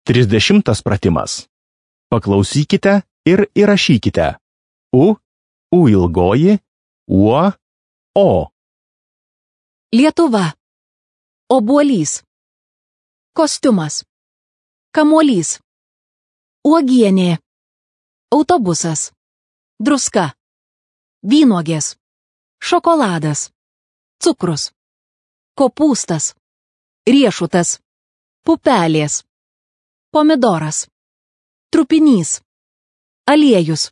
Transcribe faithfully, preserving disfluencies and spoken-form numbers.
Trisdešimtas pratimas. Paklausykite ir įrašykite. U, U ilgoji, uo, o. Lietuva. Obuolys. Kostiumas. Kamuolys. Uogienė. Autobusas. Druska. Vynuogės. Šokoladas. Cukrus. Kopūstas. Riešutas. Pupelės. Pomidoras. Trupinys. Aliejus.